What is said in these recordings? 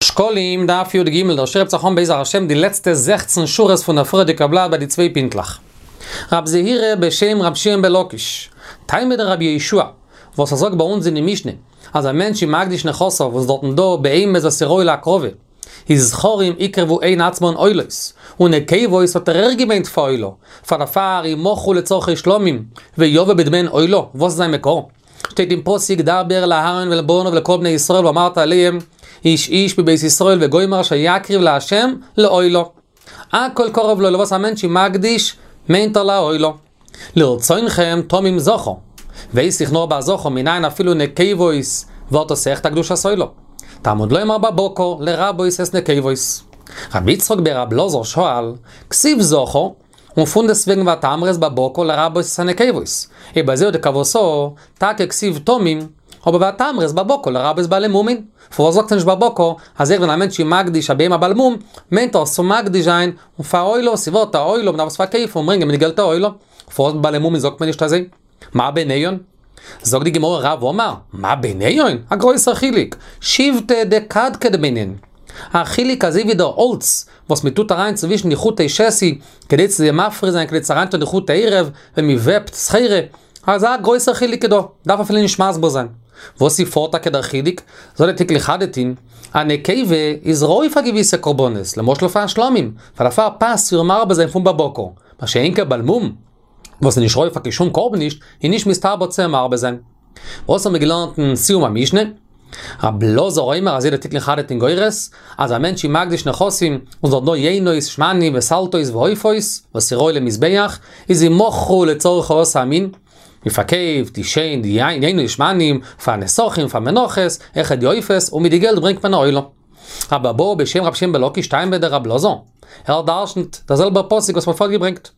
שקלים, דף י"ג, דער שיעור הייבט זיך אן בעזר השם די לעצטע זעכצן שורות פון דער פריערדיגער בלאט ביי די צוויי פינטלעך. רב זעירא בשם רב שמעון בן לקיש, טעמא דרבי יהושע, וואס ער זאגט ביי אונז אין די משנה, אז א מענטש איז מקדיש נכסיו וואס דארטן דא בהמות וואס איז ראוי להקרבה, איז זכרים יקרבו הן עצמן עולות, און נקבות האט ער אויך געמיינט פאר עולה, פאר דערפאר ימכרו לצרכי שלמים, ויבא בדמיהן עולה, וואס איז זיין מקור? שטייט אין פסוק דבר אל אהרן ואל בניו ואל כל בני ישראל ואמרת אליהם איש איש מבית ישראל וגומר אשר יקריב לה' לעולה. הכל קרב לעולה וואס א מענטש איז מקדיש מיינט ער לעולה. לרצונכם תמים זכר. ווייס איך נאר ביי זכר מנין אפילו נקבות ווערט עס אויכעט א קדושת עולה. תלמוד לומר בבקר לרבות את נקבות. רבי יצחק ברבי אלעזר שאל, כתיב זכר, און פונדעסטוועגן ותאמר את בבקר לרבות את הנקבות. אויב אזוי דכוותה, טאקע כתיב תמים, אבער ותאמר את בבקר לרבות בעלי מומין. פארוואס זאגט ער נישט בבקר, אז אויך ווען א מענטש איז מקדיש א בהמה בעל מום, מיינט ער עס צו מקדיש זיין און פאר עולה, ס'ווערט א עולה, מ'דארף עס פארקויפן און ברענגען מיט די געלט א עולה. פארוואס בעלי מומין זאגט מען נישט אזוי? מה ביניהן? זאגט די גמרא רב אמר, מה ביניהן? א גרויסער חילוק, שיבטא דקדקד ביניהן. א חילוק אזוי ווי דער האלץ וואס מען טוט אריין צווישן די חוטי שתי כדי צו זיי מפריד זיין כדי צו אריינטון די חוטי ערב ווען מען וועבט סחורה, אזא גרויסער חילוק איז דא, דארף אפילו נישט מסביר זיין. וואס איז פארט טאקע דער חילוק? זאגט דער תיקון לחדתין, א נקבה איז ראוי פאר געוויסע קרבנות, למשל פאר שלמים, פאר דערפאר פאסט איר מרבה זיין פון בבקר, מה שאין כן בעל מום, וואס איז נישט ראוי פאר קיין שום קרבן נישט, איז נישט מסתבר צו מרבה זיין. וואס האבן מיר געלערנט אין סיום המשנה? רב אלעזר אומר אזוי דער תיקון לחדתין גורס, אז א מענטש איז מקדיש נכסים, און ס'דארט דא יינות, שמנים וסלתות ועופות, וואס איז ראוי למזבח, איז ימכרו לצורך העשאת המין, מען פארקויפט די שיין די יינות שמנים פאר נסכים פאר מנחות, אויכעט די עופות, און מיט די געלט ברענגט מען א עולה. רבי אבהו בשם רבי שמעון בן לקיש טעמא דרב אלעזר, ער דרשנ'ט דער זעלבער פסוק וואס מען האט פארט געברענגט.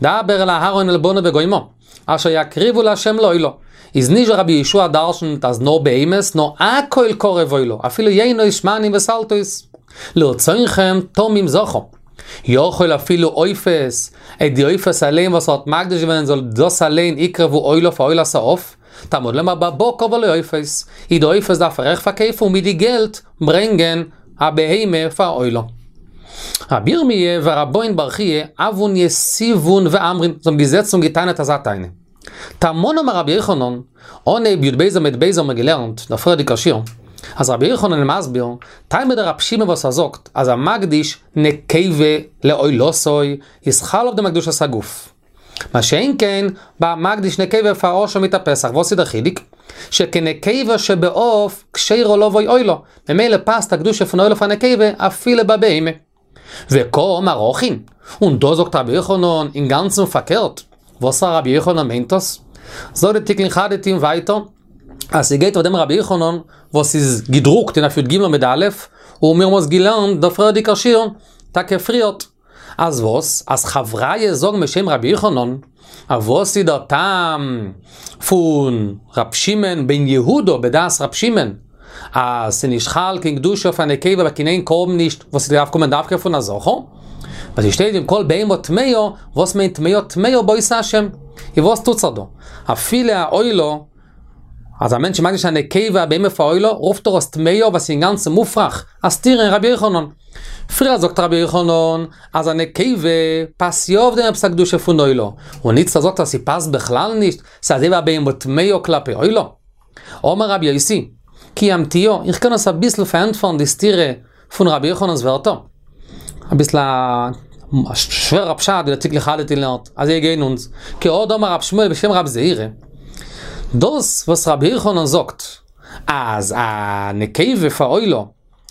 דבר אל אהרן ואל בניו וגומר, אשר יקריבו לה' לעולה. איז נישט ווי רבי יהושע דרשנ'ט אז נאר בהמות, נאר הכל קרב עולה, אפילו יינות, שמנים וסלתות. לרצונכם תמים זכר. יכול אפילו עופות, אט די עופות אליין וואס ער האט מקדיש געווען זאל דאס אליין יקרבו עולה פאר עולת העוף, תלמוד לומר בבקר ולא עופות, איז די עופות דארף ער אויך פארקויפן און מיט די געלט ברענגען א בהמה פאר עולה. רבי ירמי' ורבן בר חייא הוון יתיבון ואמרין, זיי האבן געזעצן און גע'טענה'ט אזא טענה. תמן אמר רבי יוחנן, אנהייב י"ב עמוד ב' האבן מיר געלערנט, דער פריערדיגער שיעור, אז רבי יוחנן איז מסביר, טעמא דרבי שמעון וואס ער זאגט אז המקדיש נקבה לעולתו איז חל אויף דעם א קדושת הגוף. מה שאין כן, ביי מקדיש נקבה פאר אשם מיט א פסח, וואס איז דער חילוק? שכן נקבה שבעוף כשרה לבוא עולה, ממילא פאסט א קדושה פון עולה פאר נקבה אפילו ביי בהמה. וקאמר הכי, און דא זאגט רבי יוחנן אינגאנצן פארקערט, וואס רבי יוחנן מיינט דאס? זאגט די תיקון חדתין ווייטער, אז ס'גייט אויף דעם רבי יוחנן וואס איז געדרוקט אין דף י"ג עמוד א', און מיר האבן עס געלערנט דער פריערדיגער שיעור, טאקע פריערט. אז וואס? אז חבריא זאגן בשם רבי יוחנן, אז וואס איז דער טעם פון ר' שמעון בן יהודה בדעת ר' שמעון, אז ס'נישט חל קיין קדושה אויף א נקבה ביי קיין איין קרבן נישט וואס ס'דארף קומען דווקא פון א זכר? ווייל ס'שטייט ואם כל בהמה טמאה, וואס מיינט טמאה? טמאה בעושי השם. און וואס טוט זיך דא? אפילו א עולה אז א מענטש איז מקדיש א נקבה א בהמה פאר עולה, רופט ער עס טמאה וואס איז אינגאנצן מופרך, א סתירה אין רבי יוחנן. פריער זאגט רבי יוחנן אז א נקבה פאסט יא אויף דעם עפעס א קדושה פון עולה, און איצטער זאגט ער אז ס'פאסט בכלל נישט, ס'איז אזוי ווי א בהמה טמאה כלפי עולה. אמר רבי יוסי, כי אמתיהא, איך קען עס אביסל פארענטפערן די סתירה פון רבי יוחנן'ס ווערטער. אביסל א שווערע פשט ווי דער תיקון לחדתין לערנט, אזוי גייען אונז, כי הא דאמר רב שמואל בשם רב זעירא, דאס וואס רבי יוחנן זאגט אז א נקבה פאר עולה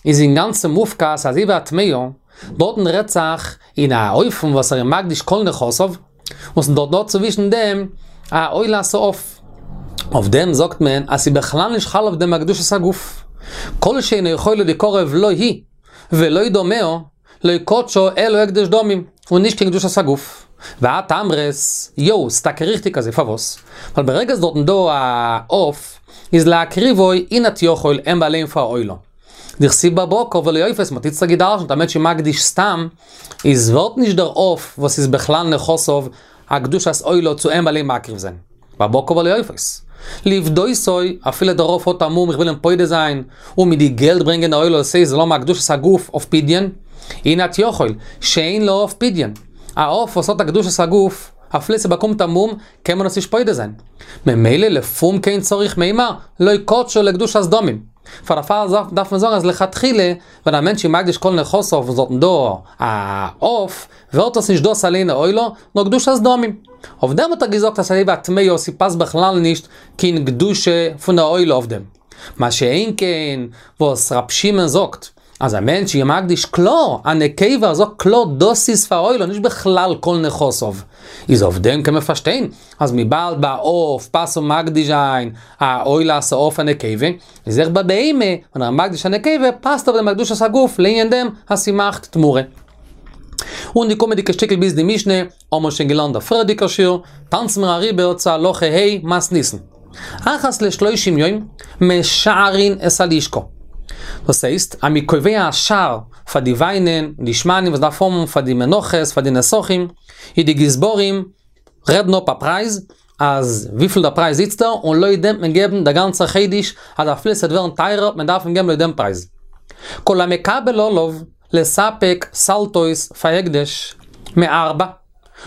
איז אינגאנצן מופקע אזוי ווי א טמאה, דארטן רעדט זיך אין א אופן וואס ער איז מקדיש כל נכסיו, און ס'איז דארט דא צווישן דעם א עולת העוף. אויף דעם זאגט מען אז ס'איז בכלל נישט חל אויף דעם א קדושת הגוף. כל שאינו יכולה ליקרב לא היא ולא דמיה, לא קדשה אלא הקדש דמים, און נישט קיין קדושת הגוף. ואת אמרת, יו, ס'איז טאקע ריכטיג אזוי, פארוואס? ווייל ברגע ס'איז דארטן דא א עוף, איז להקריבו אי את יכול אים אליין פאר עולה. דכתיב בבקר ולא עופות, מ'האט איצטער גע'דרש'נט א מענטש איז מקדיש סתם, איז ווערט נישט דער עוף וואס איז בכלל נכסיו א קדושת עולה צו אים אליין מקריב זיין. בבקר ולא עופות. לפדותו, אפילו דער עוף האט א מום איך וויל אים פודה זיין, און מיט די געלט ברענגען א עולה עשה זאל האבן א קדושת הגוף אויף פדיון, הנה את יכול, שאין לעוף פדיון. א עוף וואס האט א קדושת הגוף, אפילו ס'באקומט א מום, קען מען עס נישט פודה זיין. ממילא לפום כן צריך מימר, לא קדשא לקדושת דמים. פאר דערפאר דארף מען זאגן אז לכתחילה, ווען א מענטש איז מקדיש כל נכסיו און ס'דארטן דא א עוף, ווערט עס נישט דאס אליין א עולה, נאר קדושת דמים. אויף דעם האט ער געזאגט אז ס'אזוי ווי א טמאה, ס'פאסט בכלל נישט קיין קדושה פון א עולה אויף דעם. מה שאין כן וואס ר' שמעון זאגט אז א מענטש איז מקדיש קלאר א נקבה, ער זאגט קלאר דאס איז פאר עולה נישט בכלל כל נכסיו, איז אויף דעם קען מען פארשטיין אז וויבאלד ביי א עוף פאסט צו מקדיש זיין א עולת העוף א נקבה, איז אויך ביי בהמה ווען ער איז מקדיש א נקבה פאסט אויף דעם א קדושת הגוף לענין דעם אז ס'מאכט תמורה. און די קומענדיגע שטיקל ביז די משנה האבן מיר שוין געלערנט דער פריערדיגער שיעור, טאנצן מיר אריבער צו הלכה ה' מתניתין. אחת לשלושים יום משערין את הלשכה. דאס הייסט אז מ'איז קובע א שער פאר די וויינען און די שמנים וואס דארף האבן פאר די מנחות פאר די נסכים, איז די גזברים רעדן אפ א פרייז, אז וויפיל דער פרייז איצטער, און לויט דעם וועט מען געבן דער גאנצער חודש, אז אפילו ס'וועט ווערן טייערער, מען דארף אים געבן לויט דעם פרייז. כל המקבל עליו לספק סלתות פאר הקדש מארבע.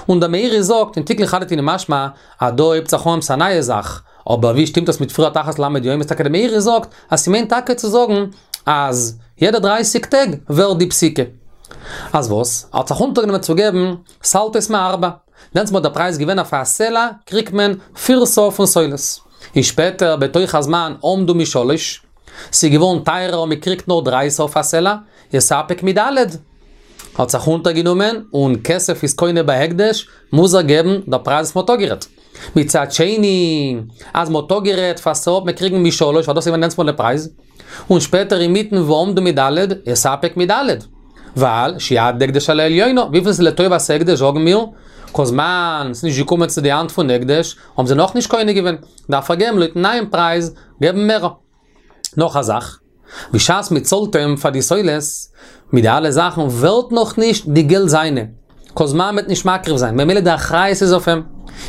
און דער מאירי זאגט אין תיקון חדתין איז משמע אז דא הויבט זיך אן עפעס א נייע זאך, אבער ווי שטימט דאס מיט פריערט אחת לל' יום איז טאקע דער מאירי זאגט אז ס'מיינט טאקע צו זאגן אז יעדע דרייסיג טעג ווערט די פסיקה. אז וואס? ער האט זיך אונטערגענומען צו געבן סלתות מארבע. דענסמאל דער פרייז געווען אויף א סלע קריגט מען פיר סאה פון סולת. איז שפעטער בתוך הזמן עמדו משלש, ס'איז געווארן טייערער און מ'קריגט נאר דריי סאה אויף א סלע, יספק מד'. האט זיך אונטערגענומען און כסף איז קונה בהקדש, מוז ער געבן דער פרייז וואס מ'האט אפגערעדט. מצד שני, אז מ'האט אפגערעדט פאר סאה וועט מען קריגן משלש ווייל דאס איז געווען דענסמאל דער פרייז. און שפעטער אינמיטן ועמדו מד', יספק מד'. ווייל שיד הקדש על העליונה, וויפיל ס'איז לטובת הקדש זאגן מיר, כל זמן ס'איז נישט געקומען צו די האנט פון הקדש, האבן זיי נאכנישט קונה געווען, דארף ער געבן לויטן נייעם פרייז, געבן מער. נאך א זאך, בשעת מען צאלט אים פאר די סולת, מיט די אלע זאכן ווערט נאכנישט די געלט זיינע, כל זמן מ'וועט נישט מקריב זיין, ממילא די אחריות איז אויף אים.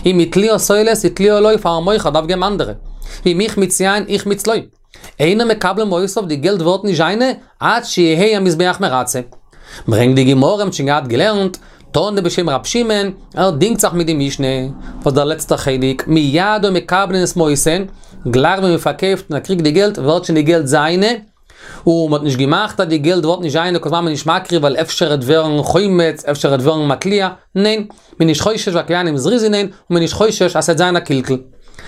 אם התליעה סולת התליעה לו פארן מוכר דארף געבן אנדערע. ואם החמיץ יין החמיץ לו. אינו מקבל מעותיו די געלט ווערט נישט זיינע עד שיהא המזבח מרצה. ברענגט די גמרא מ'האט שוין געהאט געלערנט, תנא בשם רב שמעון, ער דינגט זיך מיט די משנה, וואס דער לעצטער חלק, מיד היו מקבלין את מעותיהן, גלייך ווען מ'פארקויפט און ער קריגט די געלט ווערט שוין די געלט זיינע, און מ'האט נישט געמאכט אז די געלט ווערט נישט זיינע כל זמן מ'איז נישט מקריב ווייל אפשר עט ווערן חומץ אפשר עט ווערן מתליע, ניין, מ'איז נישט חושש ווייל כהנים זריזין הן, און מ'איז נישט חושש אז ס'עט זיין א קלקול.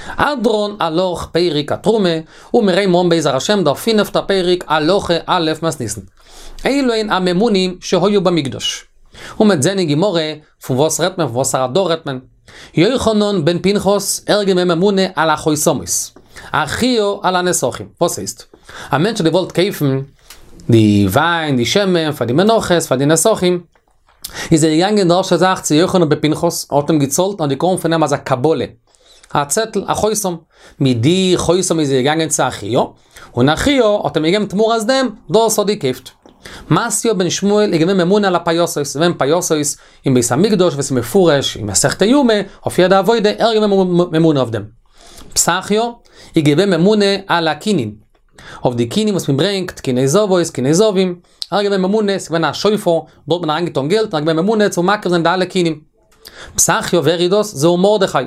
הדרן עלך פרק התרומה, און מיר הייבן אן בעזר השם דער פינפטער פרק הלכה א' מתניתין. אלו הן הממונים שהיו במקדש. און מ'וועט זען אין גמרא פון וואס רעדט מען פון וואסערע דור רעדט מען. יוחנן בן פנחס ער איז געווען ממונה על החותמות. אחיה על הנסכים. וואס הייסט? א מענטש האט געוואלט קויפן די וויין די שמן פאר די מנחות פאר די נסכים. איז ער געגאנגען די ערשטע זאך צו יוחנן בן פנחס, ער האט אים געצאלט און האט געקראגן פון אים אזא קבלה, א צעטל, א חותם, מיט די חותם איז ער געגאנגען צו אחיה, און אחיה האט אים געגעבן תמורת דעם, דאס האט געקויפט. מתיא בן שמואל איז געווען ממונה על הפייסות, ס'איז געווען פייסות אין בית המקדש וואס איז מפורש אין מסכת יומא, אויף יעדע עבודה, ער איז געווען ממונה אויף דעם. פתחיה איז געווען ממונה על הקינין, אויף די קינים וואס מען ברענגט, קיני זבות, קיני זבים, ער איז געווען ממונה, ס'איז געווען א שופר, דארט האט מען אריינגעטאן געלט, און ער איז געווען ממונה צו מקריב זיין די אלע קינים. פתחיה, ווער איז דאס? זהו מרדכי.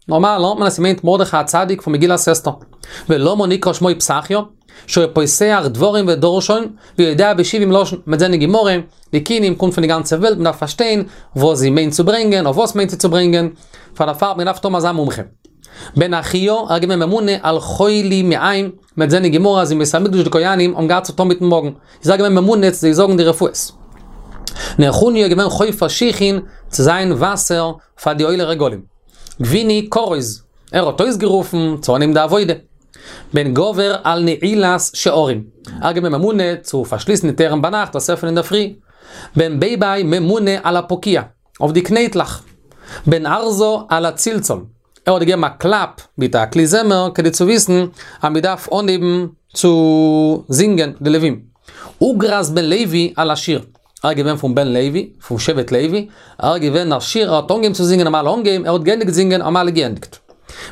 נארמאל לערנט מען אז ס'מיינט מרדכי הצדיק פון מגילת אסתר. ולמה נקרא שמו פתחיה? שהיה פותח דברים ודורשן, ויודע בשבעים לשון. מ'וועט זען אין גמרא, די קינים קומט פון די גאנצע וועלט, מ'דארף פארשטיין וואס זי מיינט צו ברענגען, אויף וואס מיינט זי צו ברענגען, פאר דערפאר האט מען געדארפט האבן אזא מומחה. בן אחיה, ער איז געווען ממונה על חולי מעיים, מ'וועט זען אין גמרא אז אין בית המקדש די כהנים האבן געהאט צו טון מיטן מאגן, איז ער געווען ממונה צו זיי זאגן די רפואות. נחוניא איז געווען חופר שיחין צו זיין וואסער פאר די עולי רגלים. גביני כרוז, ער האט אויסגערופן צו אנהייבן די עבודה. בן גבר על נעילת שערים, ער איז געווען ממונה צו פארשליסן די טויערן ביינאכט דאס עפענען אינדערפרי. בן בייבי ממונה על הפקיע, אויף די קנייטלעך. בן ארזא על הצלצול, ער האט געגעבן א קלאפ מיט א כלי זמר כדי צו וויסן אז מען דארף אנהייבן צו זינגען די לווים. אוגרס בן לוי על השיר, ער איז געווען פון בן לוי, פון שבט לוי, ער איז געווען א שיר, ער האט אנגעהויבן צו זינגען האבן אלע אנגעהויבן, ער האט געענדיגט זינגען האבן אלע געענדיגט.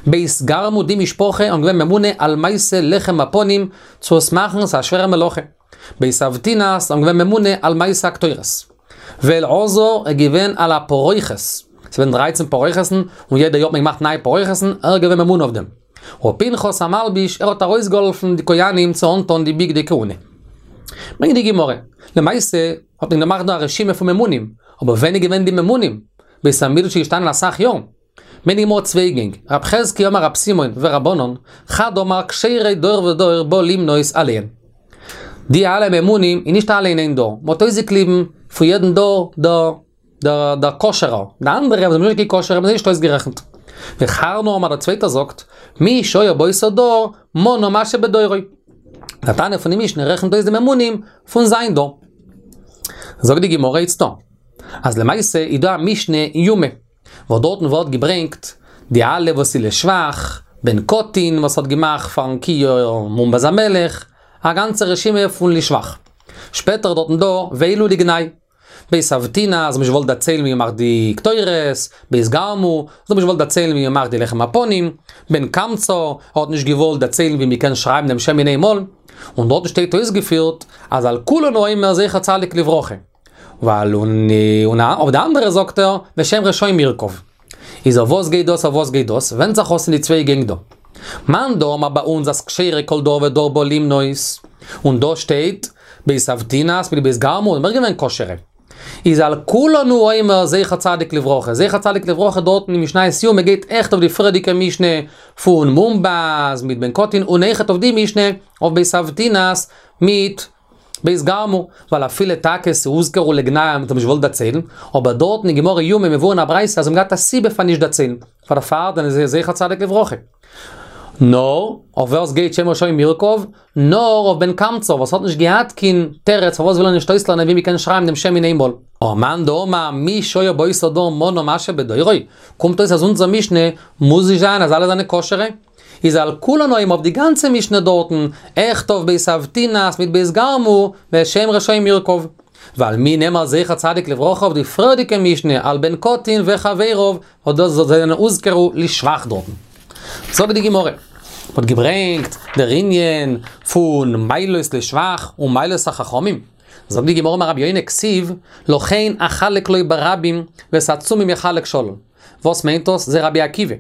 בית גרמו די משפחה האבן געווען ממונה על מעשה לחם הפנים צו עס מאכן ס'איז א שווערע מלאכה. בית אבטינס האבן געווען ממונה על מעשה הקטורת. ואלעזר איז געווען על הפרוכת, ס'איז געווען דרייצן פרוכת'ן און יעדע יאר האט מען געמאכט נייע פרוכת'ן, ער איז געווען ממונה אויף דעם. ופנחס המלביש, ער האט ארויסגעהאלפן די כהנים צו אנטון די בגדי כהונה. ברענגט די גמרא, למעשה האט מען געמאכט דא א רשימה פון ממונים, אבער ווען איז געווען די ממונים? בית המקדש איז געשטאנען אסאך יארן. ברענגט די גמרא צוויי גענג, רב חזקי' אמר רב סימון ורבנן, חד אמר כשירי דור ודור בא למנות עליהן. די אלע ממונים איז נישט אלע אין איין דור, מ'האט אויסגעקליבן פון יעדן דור דער דער דער כשר'ער, די אנדערע וואס זענען נישט קיין כשר'ע האבן זיי נישט אויסגערעכנט. וחרנא אמר דער צווייטער זאגט, מי שהיה באותו דור מנה מה שבדורו. דער תנא פון די משנה רעכנט אויס די ממונים פון זיין דור. זאגט די גמרא איצטא, אז למעשה איז דא א משנה אין יומא, וואס דארטן ווערט געברענגט די אלע וואס איז לשבח, בן קטין וואס האט געמאכט פארן כיור מונבז המלך, א גאנצע רשימה פון לשבח. שפעטער איז דארטן דא ואלו לגנאי, בית אבטינס האבן נישט געוואלט דערציילן ווי מ'מאכט די קטורת, בית גרמו, זיי האבן נישט געוואלט דערציילן ווי מ'מאכט די לחם הפנים, בן קמצא, ער האט נישט געוואלט דערציילן ווי מ'קען שרייבן דעם שם אין איין מאל, און דארטן שטייט אויסגעפירט אז על כולנו אומר זכר צדיק לברכה. ווייל און און אויף די אנדערע זאגט ער ושם רשעים ירקב. איז אויף וואס גייט דאס אויף וואס גייט דאס? ווענדט זיך אויס אין די צוויי גענג דא. מאן דאמר ביי אונז אז כשירי כל דור ודור בא למנות, און דא שטייט בית אבטינס מיט בית גרמו זענען אויך געווען כשר'ע. איז על כולנו אומר זכר צדיק לברכה, זכר צדיק לברכה דארטן אין משניות יומא גייט עכט אויף די פריערדיגע משנה פון מונבז מיט בן קטין און אויכעט אויף די משנה אויף בית אבטינס מיט בית גרמו, ווייל אפילו טאקע ס'הוזכרו לגנאי האבן זיי נישט געוואלט דערציילן, אבער דארטן אין גמרא יומא מבואר אין א ברייתא אז זיי האבן געהאט א סיבה פאר נישט דערציילן, פאר דערפאר זענען זיי זכר צדיק לברכה. נאר, אויף ווער ס'גייט שם רשעים ירקב? נאר אויף בן קמצא וואס האט נישט געהאט קיין תירוץ פארוואס וויל ער נישט אויסלערנען ווי מ'קען שרייבן דעם שם אין איין מאל. ומאן דאמר מי שהיה באותו דור מנה מה שבדורו, קומט אויס אז אונזער משנה מוז נישט זיין אז אלע זענען כשר'ע. איז על כולנו אומר אויף די גאנצע משנה דארטן, אויכעט אויף בית אבטינס מיט בית גרמו, ושם רשעים ירקב. ועל מי נאמר זכר צדיק לברכה אויף די פריערדיגע משנה על בן קטין וחביריו, וואס דאס זיי זענען הוזכרו לשבח דארטן. זאגט די גמרא, מ'האט געברענגט דער ענין פון מעלות לשבח און מעלות החכמים, זאגט די גמרא אמר רבי יונה כתיב, לכן אחלק לו ברבים ואת עצומים יחלק שלל. וואס מיינט דאס? זה רבי עקיבא.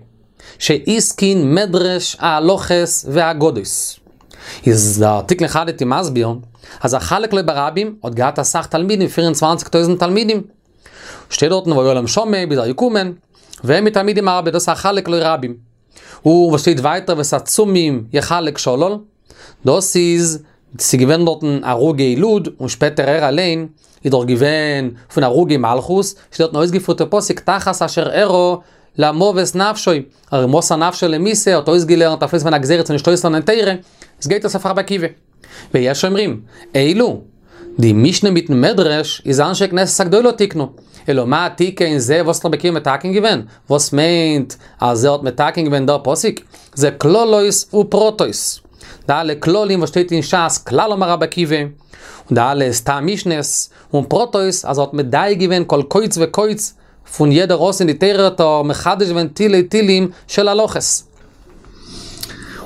שהתקין מדרש ההלכות והאגדות. איז דער תיקון חדתין מסביר אז אחלק לו ברבים האט געהאט אסאך תלמידים 24 טויזנט תלמידים. שטייט דארטן והיה להם שמע ביז ער געקומען, והם מתלמידים הרבה דאס אחלק לו רבים. און וואס שטייט ווייטער ואת עצומים יחלק שלל, דאס איז ס'איז געווען דארטן הרוגי לוד, און שפעטער ער אליין איז דאך געווען פון הרוגי מלכות, שטייט דארטן אויסגעפירט די פסוק תחת אשר אראה למוות נפשו, ער מוסר נפשו למיתה, האט אויסגעלערנט אפילו ס'איז געווען א גזירה צו נישט אויסלערנען תורה, עס גייט אויס אויף רבי עקיבא. ויש אומרים, אלו, די משנה מיטן מדרש איז אנשי כנסת הגדולה תיקנו, אלא מה תיקן זה וואס האט רבי עקיבא מתקן געווען? וואס מיינט אז ער האט מתקן געווען דער פסוק? זה כללות ופרטות. די אלע כללים וואס שטייט אין שס, כלל אמר רבי עקיבא, און די אלע סתם משנה'ס, און פרטות, אז ער האט מדייק געווען כל קוץ וקוץ פון יעדער אות אין די תורה האט ער מחדש געווען תילי תילים של הלכות.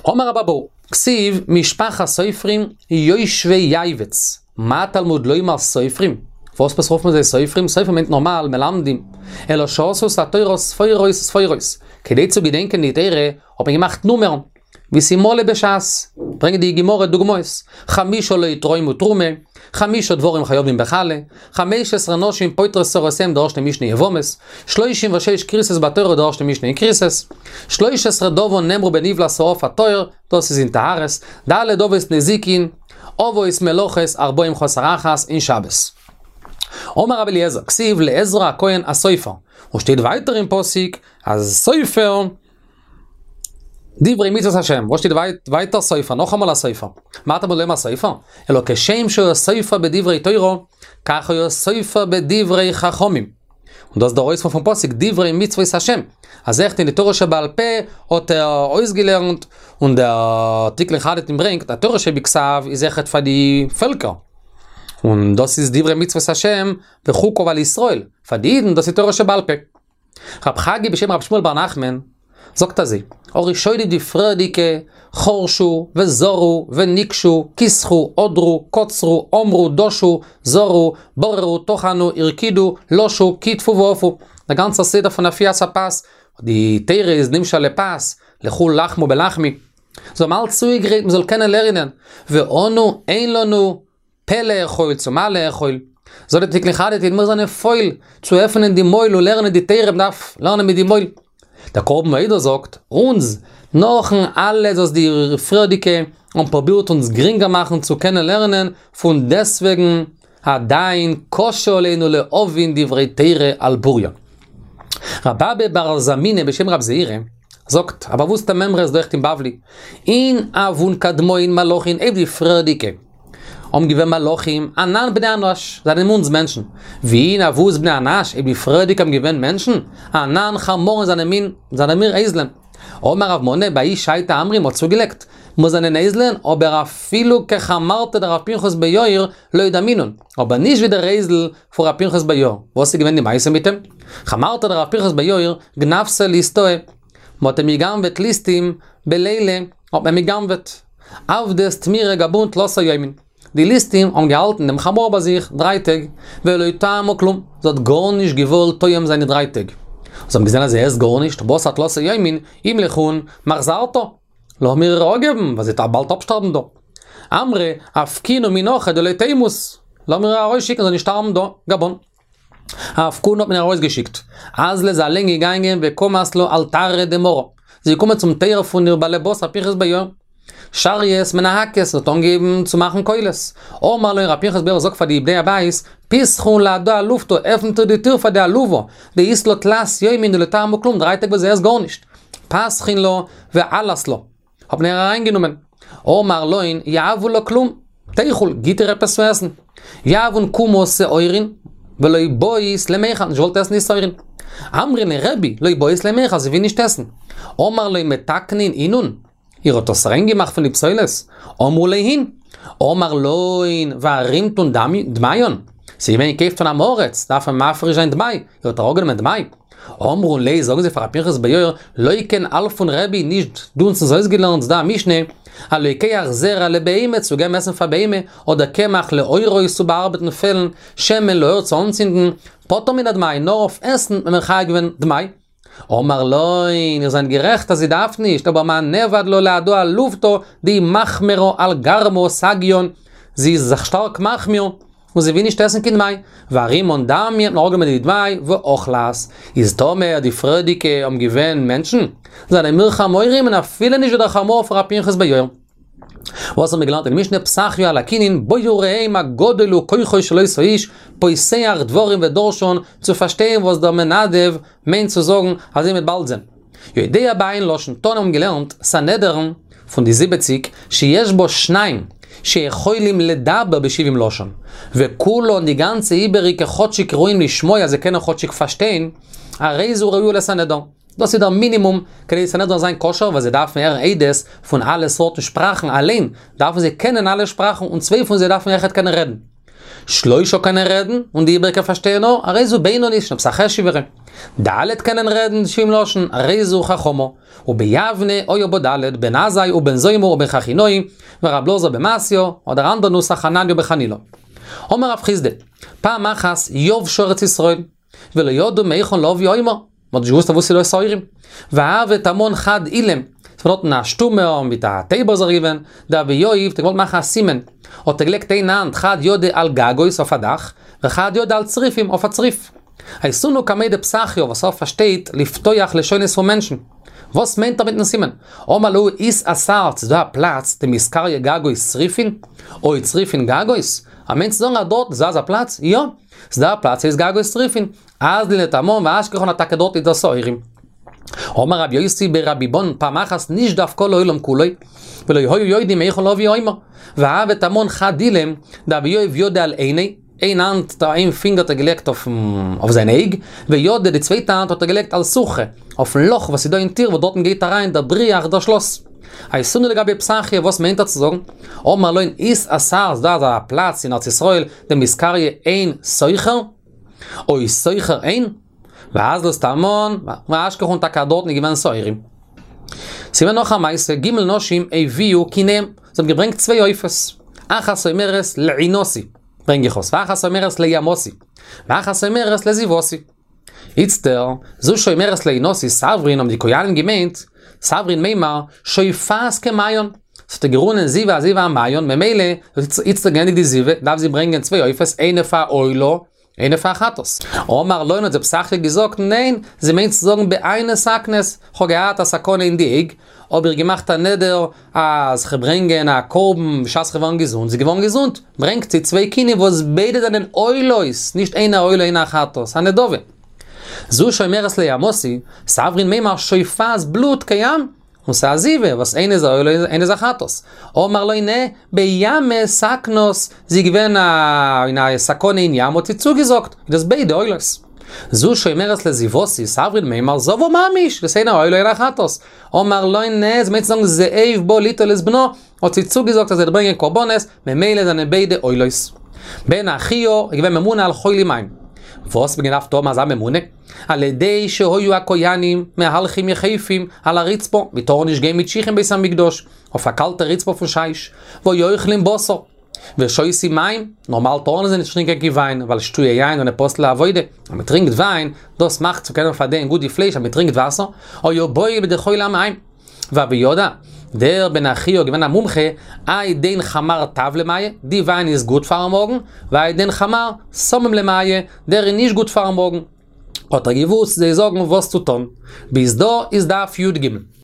אמר רבי אבהו, כתיב משפחת סופרים יושבי יעבץ, מה תלמוד לומר סופרים? וואס עפעס רופט מען זיי סופרים? סופרים מיינט נארמאל מלמדים, אלא שעשו את התורה ספורות ספורות, כדי צו געדענקען די תורה האט מען געמאכט נומערן, ווי ס'איז מלא בשס, ברענגט די גמרא דוגמאות, חמשה לא יתרמו תרומה, חמשה דברים חייבים בחלה, 15 נשים פוטרות צרותיהן די ערשטע משנה יבמות, 36 כריתות בתורה די ערשטע משנה אין כריתות, 13 דבר נאמרו בנבלת העוף הטהור, דאס איז אין טהרות, ד' אבות נזיקין, אבות מלאכות ארבעים חסר אחת אין שבת. אמר רבי אליעזר, כתיב לעזרא הכהן הסופר, און שטייט ווייטער אין פסוק אז סופר, דברי מצוות השם, וואס שטייט ווייטער סופר, נאכאמאל א סופר, מה תלמוד לומר סופר? אלא כשם שהיה סופר בדברי תורה, כך היה סופר בדברי חכמים. און דאס איז דער אויספיר פון פסוק דברי מצוות השם, אז אויכעט אין די תורה שבעל פה האט ער אויסגעלערנט, און דער תיקון חדתין ברענגט אז תורה שבכתב איז אויכעט פאר די פעלקער, און דאס איז דברי מצוות השם וחוקיו על ישראל, פאר די אידן דאס איז תורה שבעל פה. רב חגי בשם רב שמואל בר נחמן, זאגט אזוי, הראשונים די פריערדיגע, חרשו, וזרעו, וניקשו, כיסחו, הדרו, קצרו, אמרו, דשו, זרעו, בררו, טחנו, הרקידו, לשו, קיטפו ואפו. דער גאנצער סדר פון אפיית הפת, די תורה איז נמשל לפת, לכו לחמו בלחמי. זיי האבן אלץ צוגעגרייט מען זאל קענען לערנען, ואנו אין לנו פה לאכול צומה לאכול. זאגט דער תיקון חדתין מיר זענען פויל צו עפענען די מויל און לערנען די תורה, מען דארף לערנען מיט די מויל. דער קרבן העדה זאגט אונז, נאכן אלעס וואס די פריערדיגע האבן פרובירט אונז גרינגער מאכן צו קענען לערנען, פון דעסוועגן עדיין קשה עלינו להבין דברי תורה על בוריה. רב אבא בר זמינא בשם רב זעירא זאגט, א באוואוסטע מימרא איז דא אויכעט אין בבלי, אין הוון קדמאין מלאכין אויב די פריערדיגע האבן געווען מלאכים, אנן בני אנש, זענען אונז מענטשן, ואין הוות בני אנש, אויב די פריערדיגע האבן געווען מענטשן, אנן חמורין זענען מין, זענען מיר אייזלען. אמר רב מנא בהאי שעתא אמרי מ'האט צוגעלייגט, מיר זענען אייזלען, אבער אפילו כחמרתא דרב פנחס בן יאיר לא דמינן, אבער נישט ווי דער אייזל פון רב פנחס בן יאיר, וואס איז געווען די מעשה מיט אים? חמרתא דרב פנחס בן יאיר גנבתיה ליסטאה, מ'האט אים גע'גנב'עט ליסטים בליליא, האט מען אים גע'גנב'עט. עבדות טמירא גבון תלתא יומין. די ליסטים האבן געהאלטן דעם חמור ביי זיך דריי טעג, ולא טעמו כלום, זי האט גארנישט געוואלט טועם זיין די דריי טעג. זיי האבן געזען אז זי עסט גארנישט, בתר תלתא יומין, אימליכון מחזרתה. לאמיר איר אפגעבן, ווייל זי וועט באלד אפשטארבן דא. אמרי, אפקינהו מן הכא דלא תימות, לאמיר איר ארויסשיקן זי זאל נישט שטארבן דא, גבן. אפקונהו האט מען איר ארויסגעשיקט. אזלא איז אליין געגאנגען וקמת לה על תרעא דמרא. זי איז געקומען צום טויער פון איר באלעבאס ר' פנחס בן יאיר. שרית מנהקת האט אנגעהויבן צו מאכן קולות. אמר להון ר' פנחס בן יאיר זאגט פאר די בני הבית, פתחון להדא אלופתא, עפנט איר די טיר פאר די אלובה, דאית לה תלת יומין דלא טעמה כלום, דריי טעג וואס זי עסט גארנישט. פתחין לה ועלת לה. האט מען איר אריינגענומען. אמר להון יהבו לה כלום, תיכול, גיט איר עפעס צו עסן. יהבון קומא שעורין, ולא בעית למיכל, נישט געוואלט עסן די שעורין. אמרי ליה רבי, לא בעית למיכל, זי וויל נישט עסן. אמר להון מתקנין אינון, איר האט עס ריין געמאכט פון די פסולת? אמרו ליה הין. אמר להון וארימתון דמיין, ס'איז געווען געקויפט פון עם הארץ, דארף מען מפריש זיין דמאי, איר האט אראפגענומען דמאי. אמרו ליה, זאגן זיי פאר ר' פנחס בן יאיר, לא כן אלפן רבי, נישט דו האסט אונז אויסגעלערנט ס'דא א משנה, הלוקח זרע לבהמה צו געבן עסן פאר בהמה, אדער קמח לעורות צו באארבעטן פעלן, שמן לאור צו אנצינדן, פטור מן הדמאי, נאר אויף עסן האט מען מחייב געווען דמאי. אמר להון, איר זענט גערעכט אז זי דארף נישט, אבער מה נעבד לה להדא אלופתא דמחמרא על גרמא סגיאן, זי איז זיך שטארק מחמיר, און זי וויל נישט עסן קיין דמאי, וארימון דמיא האט מען אראפגענומען די דמאי ואכלת, איז טאמער די פריערדיגע האבן געווען מענטשן, זענען מיר חמורים און אפילו נישט ווי דער חמור פון ר' פנחס בן יאיר. וואס האבן מיר געלערנט אין משנה פתחיה על הקנין בואו וראה מה גדול הוא כוחו של אותו האיש פותח דברים ודורשן צו פארשטיין וואס דער מנדב מיינט צו זאגן אזוי מ'וועט באלד זען. יודע בעין לשון תנא האבן געלערנט סנהדרין פון די זיבעציק שיש בה שניים שיכולים לדבר בשבעים לשון וכולן די גאנצע איבעריגע כאטשיג ראויים לשמוע זיי קענען כאטשיג פארשטיין הרי זו ראויה לסנהדרין. דאס איז דער מינימום כדי די סנהדרין זאל זיין כשר ווייל זיי דארפן הערן עדות פון אלע סארטן שפראכן אליין דארפן זיי קענען אלע שפראכן און צוויי פון זיי דארפן אויכעט קענען רעדן. שלושה קענען רעדן און די איבעריגע פארשטייען נאר, הרי זו בינונית שוין עפעס א חשוב'ערע. ד' קענען רעדן שבעים לשון, הרי זו חכמה. וביבנה היו בה ד', בן עזאי ובן זומא ובן חכינאי, ורב אלעזר בן מתיא, אדער אנדער נוסח חנניה בן חנילא. אמר רב חסדא, פעם אחת יבשה ארץ ישראל, ולא ידעו מהיכן להביא עומר, מ'האט נישט געוואוסט אוואו ס'איז דא שעורים. והוה תמן חד אילם, ס'איז דארטן א שטומער מיט א טויבער איז ער געווען, דהוה יהיב, האט ער געוואלט מאכן א סימן, האט ער געלייגט איין האנט חד ידא על גגות אויף א דאך, וחד ידא על צריפים אויף א צריף. אייתינהו קמיה דפתחיה וואס ער פארשטייט לפתוח לשונות פון מענטשן. וואס מיינט ער מיטן סימן? אמר להו אית אתר, ס'איז דא א פלאץ דמתקריא גגות צריפין? או צריפין גגות? ער מיינט צו זאגן אז דארט איז דא אזא פלאץ? יא! ס'איז דא א פלאץ הייסט גגות צריפין. אזלין לתמן ואשכחן אז טאקע דארט איז דא שעורים. אמר רבי יוסי ברבי בון פעם אחת נשדף כל העולם כולו ולא היו יודעים מהיכן להביא עומר והוה תמן חד אילם דהוה יהיב ידא על עיניה איין האנט איין פינגער האט ער געלייגט אויף זיין אויג וידא די צווייטע האנט האט ער געלייגט על סוכרא אויפן לאך וואס איז דא אין טיר וואס דארטן גייט אריין דער בריח דער שלאס. אייתינהו לגביה פתחיה וואס מיינט ער צו זאגן? אמר להון אית אתר ס'איז דא אזא פלאץ אין ארץ ישראל דמתקריא עין סוכר? או סוכר עין? ואזלת תמן, ואשכחן טאקע דארטן איז געווען שעורים. ס'געווען נאך א מעשה, ג' נשים הביאו קיניהם, זיי האבן געברענגט צוויי עופות, אחת אומרת לעינתי, ברענג איך עס, ואחת אומרת לימתי, ואחת אומרת לזיוותי. איצטער, זו שאומרת לעינתי סברין האבן די כהנים געמיינט, סברין מימר, שופעת כמעיין, ס'האט איר גערונען זיבה אזוי ווי א מעיין, ממילא, איצטער געענדיגט די זיבה, דארף זי ברענגען צוויי עופות, איינע פאר עולה, איינע פאר חטאת. אמר להן האט זיי פתחיה געזאגט, ניין, זי מיינט צו זאגן בעינא סכנת, כ'האב געהאט א סכנה אין די אויג, האב איך געמאכט א נדר אז כ'וועל ברענגען א קרבן בשעת כ'וועל ווערן געזונט, זי איז געווארן געזונט, ברענגט זי צוויי קינים וואס ביידע זענען עולות, נישט איינע א עולה איינע א חטאת, א נדבה. זו שאומרת לימתי, סברין מימר שופעת בלוט כים, און ס'איז א זיבה, וואס איינע איז א עולה איינע איז א חטאת. אמר להן נע, בימא סכנת, זי איז געווען אין א סכנה אין ים האט זי צוגעזאגט, איז דאס ביידע עולות. זו שאומרת לזיוותי, סברין מימר זבה ממש, דאס איינע א עולה איינע א חטאת. אמר להן נע, זי מיינט צו זאגן זאב בא ליטול את בנו, האט זי צוגעזאגט אז זי וועט ברענגען קרבנות, ממילא זענען ביידע עולות. בן אחיה איז געווען ממונה על חולי מים. וואס האט מען געדארפט האבן אזא ממונה? על ידי שהיו הכהנים מהלכים יחפים על הרצפה, מען טאר נישט גיין מיט שיך אין בית המקדש, אויף א קאלטע רצפה פון שיש, והיו אוכלים בשר, ושותים מים, נארמאל טארן זיי נישט טרינקען קיין וויין, ווייל שתויי יין זענען פסול לעבודה, אז מען טרינקט וויין, דאס מאכט צו קענען פארדייען גוט די פלייש אז מען טרינקט וואסער, היו באים לידי חולי המעיים. והוה ידע, דער בן אחיה איז געווען א מומחה, האי דין חמר טב למעי, די וויין איז גוט פארן מאגן, והאי דין חמר סמום למעי, דער איז נישט גוט פארן מאגן. האט ער געוואוסט זיי זאגן וואס צו טון. ביז דא איז דף י"ג.